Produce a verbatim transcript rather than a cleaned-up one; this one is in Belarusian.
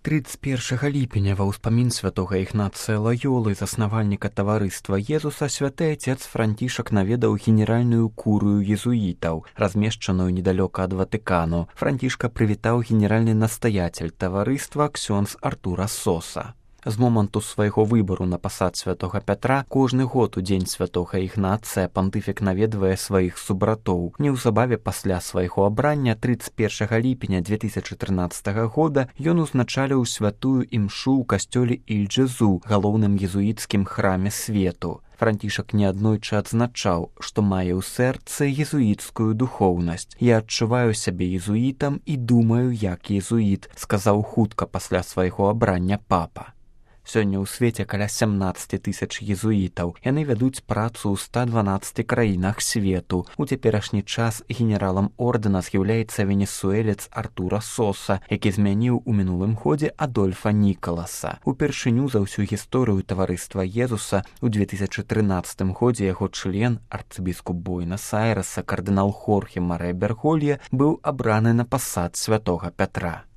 тридцать першага ліпеня ва ўспамін святога Ігнацыя Лаёлы, заснавальніка таварыства Езуса, святы отец Францішак наведаў генеральную курыю езуітаў, размешчаную недалёка ад Ватыкану. Францішка прывітаў генеральны настаятель таварыства ксёндз Артура Соса. З моманту свайго выбару на пасад святога Пятра кожны год у дзень святога Ігнацыя пантыфік наведвае сваіх субратоў. Неўзабаве пасля свайго абрання тридцать першага ліпеня две тысячи трынаццатага года ён узначаліў святую імшу ў касцёле Іль-Джезу, галоўным езуіцкім храме свету. Францішак неаднойчы адзначаў, што мае ў сэрцы езуіцкую духоўнасць. «Я адчуваю сябе езуітам і думаю, як езуіт», сказаў хутка пасля свайго абрання папа. Сёння ў свеце каля сямнаццаць тысяч езуітаў. Яны вядуць працу ў ста дванаццаці краінах свету. У цяперашні час генералам ордэна з'яўляецца венесуэлец Артура Соса, які змяніў у мінулым годзе Адольфа Нікаласа. Упершыню за ўсю гісторыю таварыства Езуса у две тысячи трынаццатым годзе яго член, арцыбіскуп Буэнас-Айрэса кардынал Хорхе Марэ Берголье, быў абраны на пасад святога Пятра.